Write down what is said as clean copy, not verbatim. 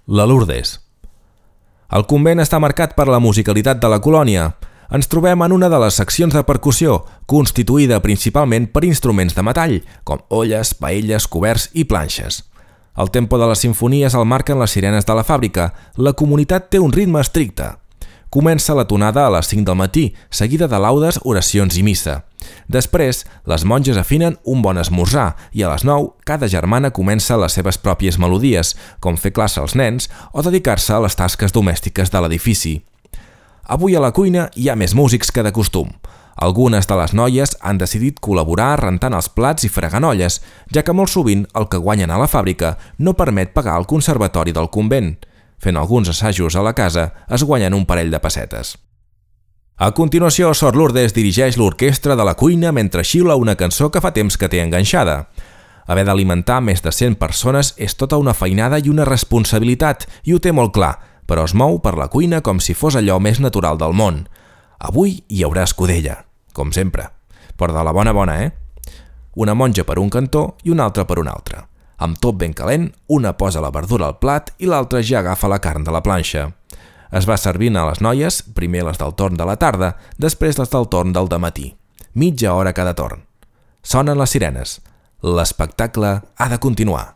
La Lourdes. El convent està marcat per la musicalitat de la colònia. Ens trobem en una de les seccions de percussió, constituïda principalment per instruments de metall, com olles, paelles, coberts i planxes. El tempo de les simfonies el marquen les sirenes de la fàbrica. La comunitat té un ritme estricte. Comença la tonada a les 5 del matí, seguida de laudes, oracions i missa. Després, les monges afinen un bon esmorzar i a les 9 cada germana comença les seves pròpies melodies, com fer classe als nens o dedicar-se a les tasques domèstiques de l'edifici. Avui a la cuina hi ha més músics que de costum. Algunes de les noies han decidit col·laborar rentant els plats i fregant olles, ja que molt sovint el que guanyen a la fàbrica no permet pagar el conservatori del convent. Fent alguns assajos a la casa es guanyen un parell de pessetes. A continuació, Sor Lourdes dirigeix l'orquestra de la cuina mentre xiula una cançó que fa temps que té enganxada. Haver d'alimentar més de 100 persones és tota una feinada i una responsabilitat, i ho té molt clar, però es mou per la cuina com si fos allò més natural del món. Avui hi haurà escudella, com sempre, però de la bona, Una monja per un cantó i una altra per un altre. Amb tot ben calent, una posa la verdura al plat i l'altra ja agafa la carn de la planxa. Es va servint a les noies, primer les del torn de la tarda, després les del torn del dematí. Mitja hora cada torn. Sonen les sirenes. L'espectacle ha de continuar.